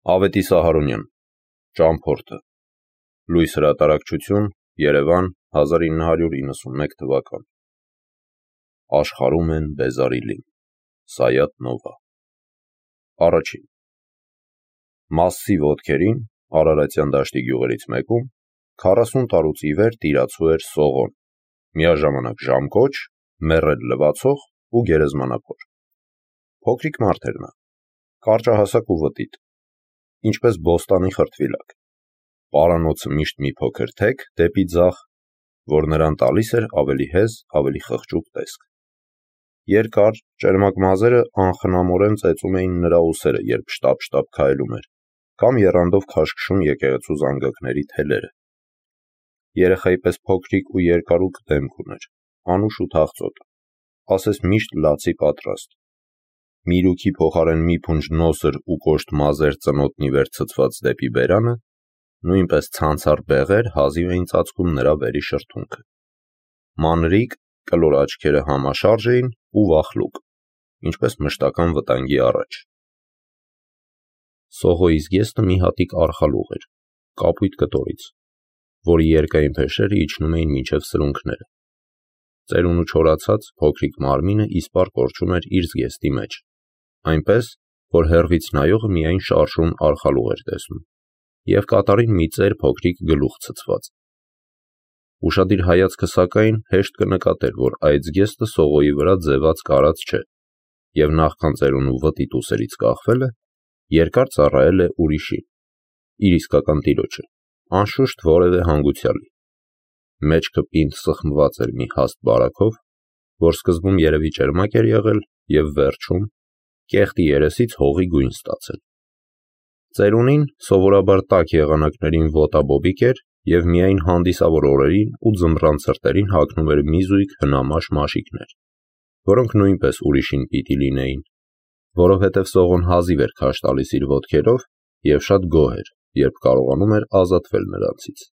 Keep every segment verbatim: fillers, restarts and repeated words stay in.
Ավետիս Սահարոնյան, Ճամփորդը, Լույս հրատարակչություն, Երևան, հազար ինը հարյուր իննսունմեկ թվական։ Աշխարհում են Բեզարիլին, Սայաթ Նովա։ Առաջին։ Մասսի ոտքերին, Արարատյան դաշտի գյուղերից մեկում, քառասուն տարուց ի վեր տիրացու էր Սողոն, միաժամանակ ժամկոչ, մեռել լվացող ու գերեզմանափոր։ Փոքրիկ մարդ էր նա, կարճահասակ ու վտիտ, ինչպես բոստանի խրտվիլակ, պարանոցը միշտ մի փոքր թեք դեպի ձախ, որ նրան տալիս էր ավելի հեզ, ավելի խղճուկ տեսք։ Երկար, ճերմակ մազերը անխնամորեն ծեծում էին նրա ուսերը, երբ շտապ-շտապ քայլում էր, կամ եռանդով քաշքշում եկեղեցու զանգակների թելերը։ Երեխայի պես փոքրիկ ու երկարուկ դեմք ուներ, անուշ ու թախծոտ, ասես միշտ լացի պատրաստ։ Միրուքի փոխարեն մի փունջ նոսր ու կոշտ մազեր ծնոտնի վեր ցցված դեպի բերանը, նույնպես ցանցառ բեղեր հազիվ էին ծածկում նրա վերի շրթունքը։ Մանրիկ, կլոր աչքերը համաշարժ էին ու վախլուկ, ինչպես մշտական վտանգի առաջ։ Սողոյի զգեստը մի հատիկ արխալուղ էր, կապույտ կտորից, որի երկայն փեշերը իջնում էին մինչև սրունքները։ Ծերունու չորացած փոքրիկ մարմինը իսպառ կորչում էր իր զգեստի մեջ, այնպես, որ հեռվից նայողը միայն շարժուն արխալուղ էր տեսնում, և կատարին մի ծեր փոքրիկ գլուխ ցցված։ Ուշադիր հայացքը սակայն հեշտ կնկատեր, որ այդ զգեստը Սողոյի վրա ձևած կարած չէ, և նախքան ծերունու վտիտ ուսերից կախվելը, երկար ծառայել է ուրիշին, իր իսկական տիրոջը, անշուշտ որևէ հանգուցյալի։ Մեջքը պինդ սխմված էր մի հաստ բարագով, որ սկզբում երևի ճերմակ էր եղել և վերջում կեղտի երեսից հողի գույն ստացել։ Ծերունին սովորաբար տաք եղանակներին ոտաբոբիկ էր և միայն հանդիսավոր օրերին ու ձմռան ցրտերին հագնում էր մի զույգ հնամաշ մաշիկներ, որոնք նույնպես ուրիշին պիտի լինեին, որովհետև Սողոն հազիվ էր քաշ տալիս իր ոտքերով և շատ գոհ էր, երբ կարողանում էր ազատվել նրանցից։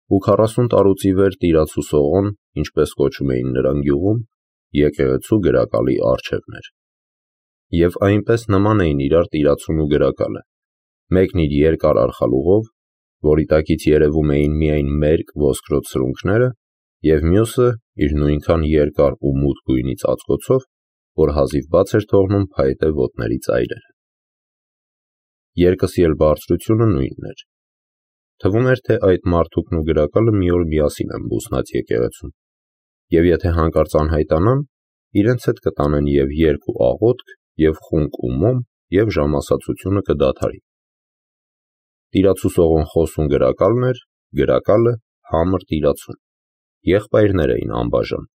Ու քառասուն տարուց ի վեր տիրացու Սողոն, ինչպես կոչում էին նրան գյուղում, եկեղեցու գրակալի առջևն էր։ Եվ այնպես նման էին իրար տիրացուն ու գրակալը, մեկն իր երկար արխալուղով, որի տակից երևում էին միայն մերկ ոսկրոտ սրունքները, և մյուսը իր նույնքան երկար ու մութ գույնի ծածկոցով, որ հազիվ բաց էր թողնում փայտե ոտների ծայրերը։ Երկսի էլ բարձրությունը նույնն էր։ Թվում էր, թե այդ մարդուկն ու գրակալը մի օր միասին են բուսնած եկեղեցում, և եթե հանկարծ անհայտանան, իրենց հետ կտանեն և երգ ու աղոթք, և խունկ ու մոմ, և ժամասացությունը կդադարի։ Տիրացու Սողոն խոսուն գրակալն էր, գրակալը համր տիրացուն, եղբայրներ էին անբաժան։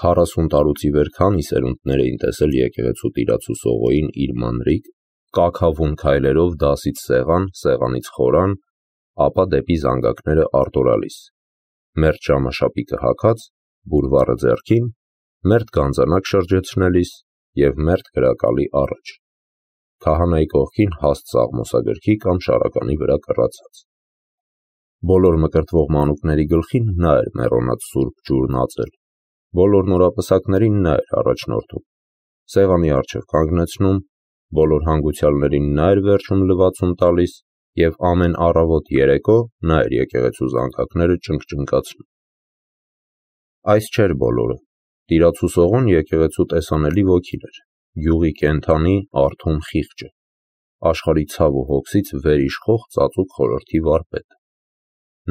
Քառասուն տարուց ի վեր քանի սերունդներ էին տեսել եկեղեցու տիրացու Սողոյին իր մանրիկ, կաքավուն քայլերով դասից սեղան, սեղանից խորան, ապա դեպի զանգակները արտորալիս, մերթ ժամաշապիկը հագած, բուրվառը ձեռքին, մերթ գանձանակ շրջեցնելիս և մերթ գրակալի առաջ, քահանայի կողքին հաստ սաղմոսագրքի կամ շարականի վրա կռացած։ Բոլոր մկրտվող մանուկների գլխին նա էր մեռոնած սուրբ ջուրն ածել, բոլոր նորապսակներին նա էր առաջնորդում, սեղանի առջև կանգնեցնում, բոլոր հանգուցյալներին նա էր վերջում լվացում տալիս և ամեն առավոտ երեկո նա էր եկեղեցու զանգակները ճնգճնգացնում։ Այս չէր բոլորը, տիրացու Սողոն եկեղեցու տեսանելի ոգին էր, գյուղի կենդանի, արթուն խիղճը, աշխարհի ցավ ու հոգսից վերիշխող ծածուկ խորհրդի վարպետ։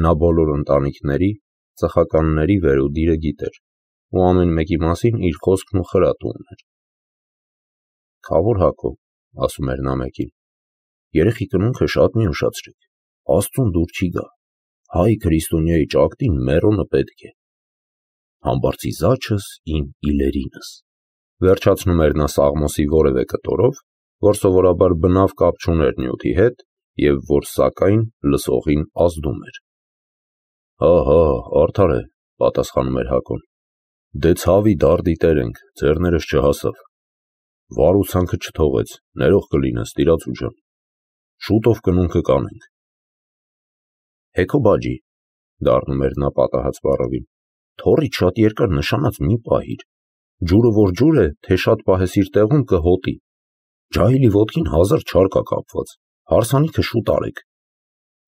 Նա բոլոր ընտանիքների, ծխականների վերուդիրը գիտեր ու ամեն մեկի մասին իր խոսքն ու խրատը ուներ։ «Քավոր Հակո, — ասում էր նա մեկին, — երեխի կնունքը շատ մի ուշացրեք, Աստծուն դուր չի գա, հայ քրիստոնյայի ճակտին մեռոնը պետք է, համբարձի զաչս իմ իլերինս», վերջացնում էր նա Սաղմոսի որևէ կտորով, որ սովորաբար բնավ կապ չուներ նյութի հետ և որ սակայն լսողին ազդում էր։ «Հա, արդար է, — պատասխանում էր Հակոն, — դե ցավի դարդի տեր ենք, ձեռներս չհասավ, վարուցանքը չթողեց, ներող կլինես, տիրացու ջան, շուտով կնունքը կանենք»։ «Հեքո բաջի, — դառնում էր նա պատահած բառովին, — թոռից շատ երկար նշանած մի պահիր, ջուրը որ ջուր է, թե շատ պահես իր տեղում կհոտի»։ Ջահիլի ոտքին հազար չար կա կապված, հարսանիքը շուտ արեք,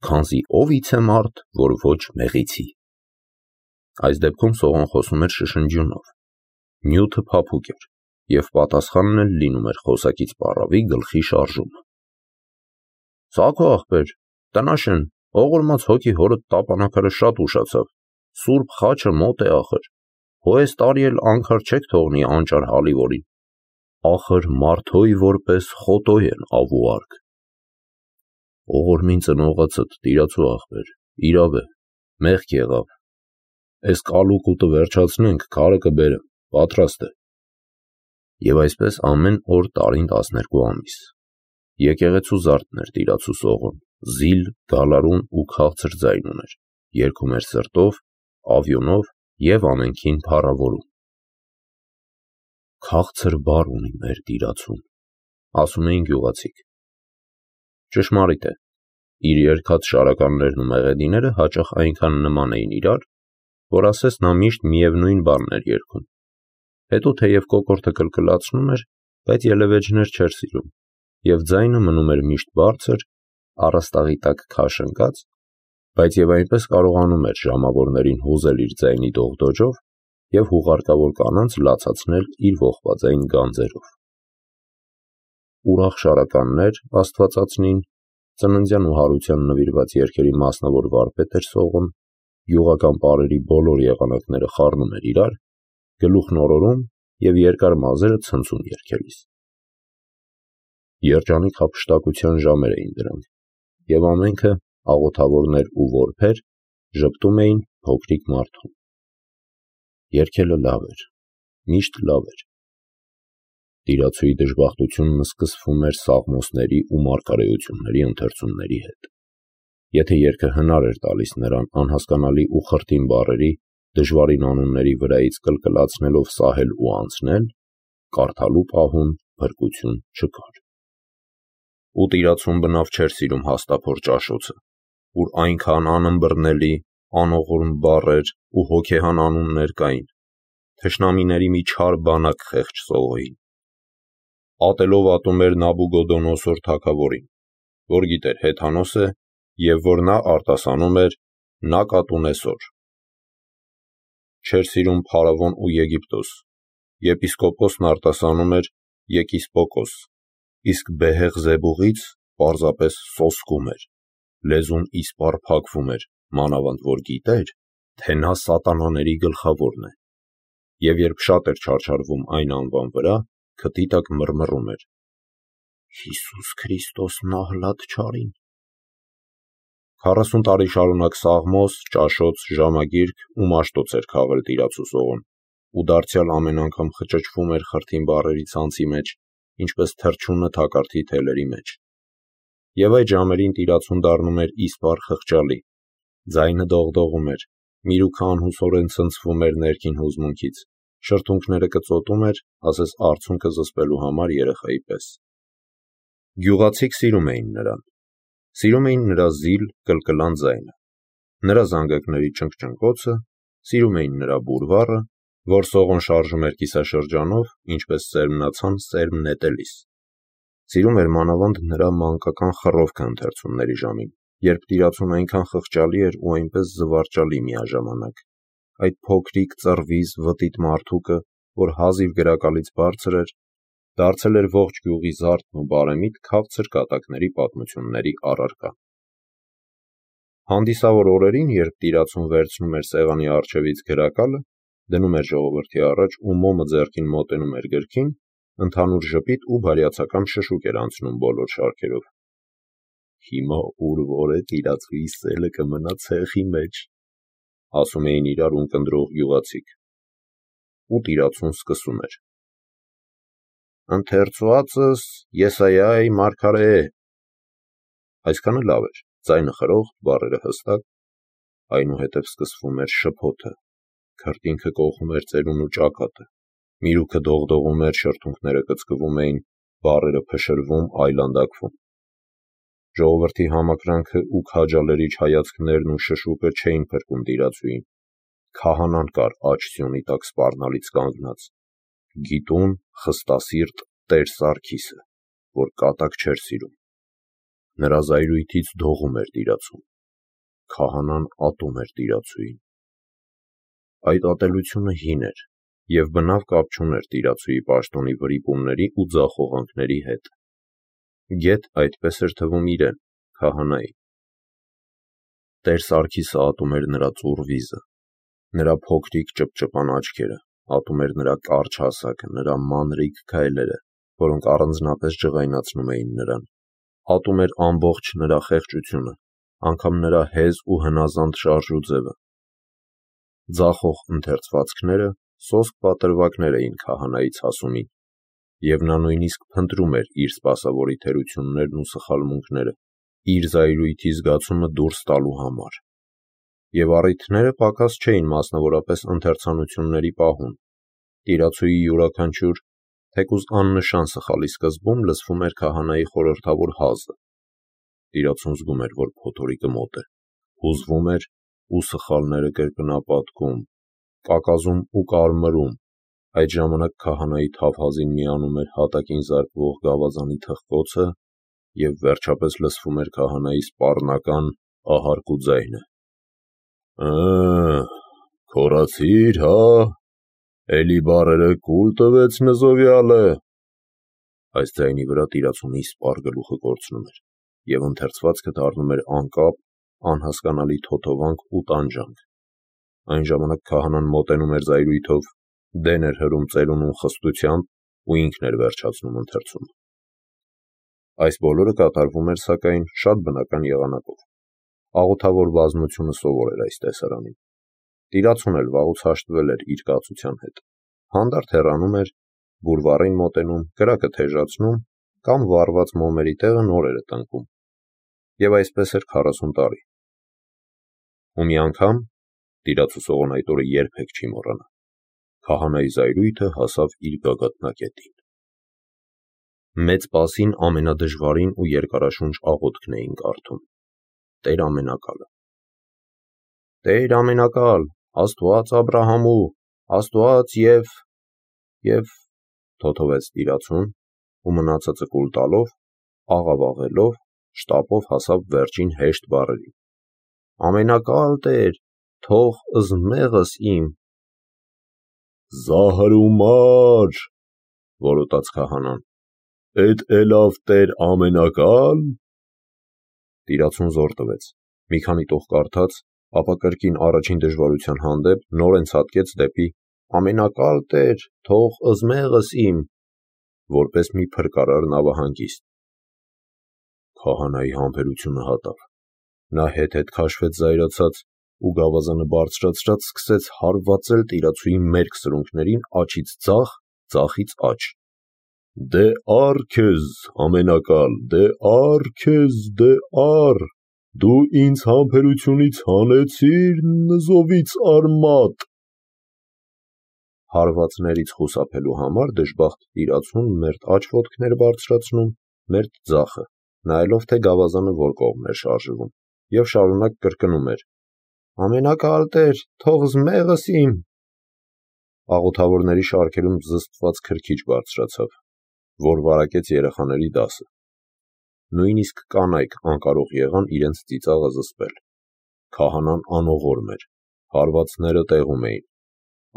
քանզի ով իցե մարդ, որ ոչ մեղիցի։ Այս դեպքում Սողոն խոսում էր շշնջյունով, նյութը փափուկ էր, և պատասխանն էլ լինում էր խոսակից պառավի գլխի շարժումը։ Սա քո ախպեր, տնաշեն, ողորմած հոգի հորդ տապանակարը շատ ուշացավ, սուրբ խաչը մոտ է ախր, հո այս տարի էլ անգար չեք թողնի անճար հալիվորին, ախր մարդոյ որպես խոտոյ են ավու արկ։ Ողորմին ծնողացդ, տիրացու ախպեր, իրավ է, մեղք եղավ, այս կալուկուտը վերջացնենք, քարը կբերեմ, պատրաստ է։ Եվ այսպես ամեն օր տարին տասներկու ամիս։ Եկեղեցու զարդն էր տիրացու Սողոն, զիլ, գալարուն ու քաղցր ձայն ուներ, երգում էր սրտով, ավյունով և ամենքին փառավորում։ Քաղցր բառ ունի մեր տիրացուն, ասում էին գյուղացիք։ Ճշմարիտ է, իր երգած շարականներն ու մեղեդիները հաճախ այնքան նման էին իրար, որ ասես նա միշտ միևնույն բառն էր երգում։ Հետո թեև կոկորդը կլկլացնում էր, բայց ելևէջներ չէր սիրում, և ձայնը մնում էր միշտ բարձր, առաստաղի տակ քաշ ընկած, բայց և այնպես կարողանում էր ժամավորներին հուզել իր ձայնի դողդոջով և հուղարկավոր կանանց լացացնել իր ողբաձայն գանձերով։ Ուրախ շարականներ, Աստվածածնին, ծննդյան ու հարության նվիրված երգերի մասնավոր վարպետ էր Սողոն, գյուղական պարերի բոլոր եղանակները խառնում էր իրար, գլուխն օրորում և երկար մազերը ցնցում երգելիս։ Երջանիկ հափշտակության ժամեր էին դրանք, և ամենքը, աղոթավորներ ու որբեր, ժպտում էին փոքրիկ մարդուն։ Երգելը լավ էր, միշտ լավ էր։ Տիրացուի դժբախտությունն սկսվում էր սաղմոսների ու մարգարեությունների ընթերցումների հետ։ Եթե երգը հնար էր տալիս նրան անհասկանալի ու խրտին բառերի, դժվարին անունների վրայից կլկլացնելով սահել ու անցնել, կարդալու պահուն փրկություն չկար։ Ու տիրացուն բնավ չէր սիրում հաստափոր ճաշոցը, ուր այնքան անըմբռնելի, անողորմ բառեր ու հոգեհան անուններ կային, թշնամիների մի չար բանակ խեղճ Սողոյին։ Ատելով ատում էր Նաբուգոդոնոսոր թագավորին, որ գիտեր հեթանոս է և որ նա արտասանում էր Նակատունեսոր։ Չէր սիրում Փարավոն ու Եգիպտոս, եպիսկոպոսն արտասանում էր Եկիսպոկոս, իսկ Բեհեղ-Զեբուղից պարզապես սոսկում էր, լեզուն իսպառ փակվում էր, մանավանդ որ գիտեր, թե նա սատանաների գլխավորն է, և երբ շատ էր չարչարվում այն անվան վրա, քթի տակ մռմռում էր. «Հիսուս Քրիստոս նահլատ չարին»։ Քառասուն տարի շարունակ սաղմոս, ճաշոց, ժամագիրք ու մաշտոց էր քաղել տիրացու Սողոն, ու դարձյալ ամեն անգամ խճճվում էր խրթին բառերի ցանցի մեջ, ինչպես թռչունը թակարդի թելերի մեջ։ Եվ այդ ժամերին տիրացուն դառնում էր իսպառ խղճալի, ձայնը դողդողում էր, միրուքը անհուսորեն ցնցվում էր ներքին հուզմունքից, շրթունքները կծոտում էր, ասես արցունքը զսպելու համար երեխայի պես։ Գյուղացիք սիրում էին նրան, սիրում էին նրա զիլ, կլկլան ձայնը, նրա զանգակների ճնգճնգոցը, սիրում էին նրա բուրվառը, որ Սողոն շարժում էր կիսաշրջանով, ինչպես սերմնացան սերմ նետելիս։ Սիրում էր մանավանդ նրա մանկական խռովքը ընթերցումների ժամին, երբ տիրացուն այնքան խղճալի էր ու այնպես զվարճալի միաժամանակ, այդ փոքրիկ ծռվիզ վտիտ մարդուկը, որ հազիվ գրակալից բարձր էր, դարձել էր ողջ գյուղի զարդն ու բարեմիտ քաղցր կատակների պատմությունների առարկա։ Հանդիսավոր օրերին, երբ տիրացուն վերցնում էր սեղանի առջևից գրակալը, դնում էր ժողովրդի առաջ ու մոմը ձեռքին մոտենում էր գրքին, ընդհանուր ժպիտ ու բարյացակամ շշուկ էր անցնում բոլոր շարքերով։ «Հիմա ուր որ է տիրացուի սելը կմնա ցեխի մեջ», ասում էին իրար ունկնդրող գյուղացիք։ Ու տիրացուն սկսում էր. «Ընթերցուածս Եսայիայի մարգարե է»։ Այսքանը լավ էր, ձայնը խրոխտ, բառերը հստակ, այնուհետև սկսվում էր շփոթը, քրտինքը կոխում էր ծերուն ու ճակատը, միրուքը դողդողում էր, շրթունքները կծկվում էին, բառերը փշրվում, այլանդակվում։ Ժողովրդի համակրանքը ու քաջալերիչ հայացքներն ու շշուկը չէին փրկում տիրացուին։ Քահանան կար աջ սյունի տակ սպառնալից կանգնած, գիտուն, խստասիրտ Տեր Սարգիսը, որ կատակ չէր սիրում։ Նրա զայրույթից դողում էր տիրացում։ Քահանան ատում էր տիրացուին։ Այդ ատելությունը հին էր և բնավ կապ չուներ տիրացուի պաշտոնի վրիպումների ու ձախողանքների հետ։ Գեթ այդպես էր թվում իրեն, քահանայի։ Տեր Սարգիսը ատում էր նրա ծուռ վիզը, նրա փոքրիկ ճպճպան աչքերը, ատում էր նրա կարճ հասակը, նրա մանրիկ քայլերը, որոնք առանձնապես ջղայնացնում էին նրան, ատում էր ամբողջ նրա խեղճությունը, անգամ նրա հեզ ու հնազանդ շարժուձևը։ Ձախող ընթերցվածքները սոսկ պատրվակներ էին քահանայի ցասումին, և նա նույնիսկ փնտրում էր իր սպասավորի թերություններն ու սխալմունքները, իր զայրույթի զգացումը դուրս տալու համար։ Եվ առիթները պակաս չէին մասնավորապես ընթերցանությունների պահում։ Տիրացուի յուրաքանչյուր, թեկուզ աննշան սխալի սկզբում լսվում էր քահանայի խորհրդավոր հազը։ Տիրացուն զգում էր, որ փոթորիկը մոտ է, հուզվում էր ու սխալները կրկնապատկում, կակազում ու կարմրում։ Այդ ժամանակ քահանայի թավ հազին միանում էր հատակին զարկվող գավազանի թխկոցը և վերջապես լսվում էր քահանայի սպառնական ահարկու ձայնը. «Ը, քորացիր, հա, էլի բառերը կուլ տվեց Նզովյալը»։ Այս ձայնի վրա տիրացունի սպառ գլուխը կորցնում էր, և ընթերցվածքը դառնում էր անկապ, անհասկանալի թոթովանք ու տանջանք։ Այն ժամանակ քահանան մոտենում էր զայրույթով, դեն էր հրում ծերունուն խստությամբ ու ինքն էր վերջացնում ընթերցումը։ Այս բոլորը կատարվում էր, սակայն, շատ բնական եղանակով։ Աղոթավոր բազմությունը սովոր էր այս տեսարանին։ Տիրացուն էլ վաղուց հաշտվել էր իր կացության հետ։ Հանդարտ հեռանում էր, բուրվառին մոտենում, կրակը թեժացնում կամ վառված մոմերի տեղը նորերը տնկում։ Եվ այսպես էր քառասուն տարի։ Ու մի անգամ, տիրացու Սողոն այդ օրը երբեք չի մոռանա, քահանայի զայրույթը հասավ իր գագաթնակետին։ Մեծ Պասին ամենադժվարին ու երկարաշունչ աղոթքն էին կարդում. Տեր ամենակալը։ Տեր ամենակալ, Աստված Աբրահամու, Աստված և և թոթովեց տիրացուն ու մնացածը կուլ տալով, աղավաղելով, շտապով հասավ վերջին հեշտ բառերին. Ամենակալ Տեր, թող ըզմեղս իմ։ Զահր ու մար, որոտաց քահանան, էդ էլավ Տեր ամենակալ։ Տիրացուն զոր տվեց, մի քանի տող կարդաց, ապա կրկին առաջին դժվարության հանդեպ նորեն ցատկեց դեպի ամենակալ Տեր, թող ըզմեղս իմ, որպես մի փրկարար նավահանգիստ։ Քահանայի համբերությունը հատավ։ Նա հետ-հետ քաշվեց զայրացած ու գավազանը բարձրացրած սկսեց հարվածել տիրացուի մերկ սրունքներին աջից ձախ, ձախից աջ։ Դե առ քեզ, ամենակալ, դե առ քեզ, դե առ, դու ինձ համբերությունից հանեցիր Նզովից արմատ։ Հարվածներից խուսափելու համար դժբախտ տիրացուն մերթ աջ ոտքն էր բարձրացնում, մերթ ձախը, նայելով, թե գավազանը որ կողմն էր շարժվում, և շարունակ կրկնում էր. Ամենակալ Տեր, թող ըզմեղս իմ։ Աղոթավորների շարքերում զսպված քրքիջ բարձրացավ, որ վարակեց երեխաների դասը։ Նույնիսկ կանայք անկարող եղան իրենց ծիծաղը զսպել։ Քահանան անողորմ էր, հարվածները տեղում էին։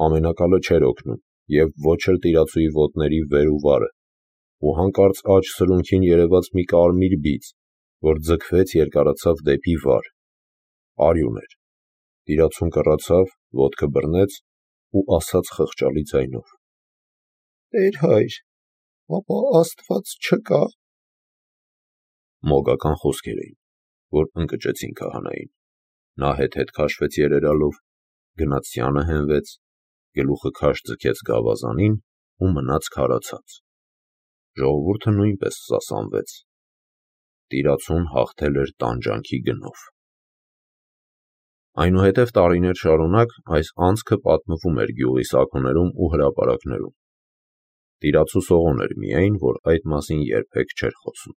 Ամենակալը չէր օգնում, և ոչ էլ տիրացուի ոտների վեր ու վարը, ու հանկարծ աջ սրունքին երևաց մի կարմիր բիծ, որ ձգվեց երկարացավ դեպի վար։ Արյուն էր։ Տիրացուն կռացավ, ոտքը բռնեց ու ասաց խղճալի ձայնով. Տեր հայր, ապա Աստված չկա։ Մոգական խոսքեր էին, որ ընկճեցին քահանային։ Նա հետ-հետ քաշվեց երերալով, գնաց սյանը հենվեց, գլուխը քաշ ձգեց գավազանին ու մնաց քարացած։ Ժողովուրդը նույնպես սասանվեց։ Տիրացուն հաղթել էր տանջանքի գնով։ Այնուհետև տարիներ շարունակ այս անցքը պատմվում էր գյուղի սաքոներում ու հրապարակներում։ Տիրացու Սողոն էր միայն, որ այդ մասին երբեք չէր խոսում։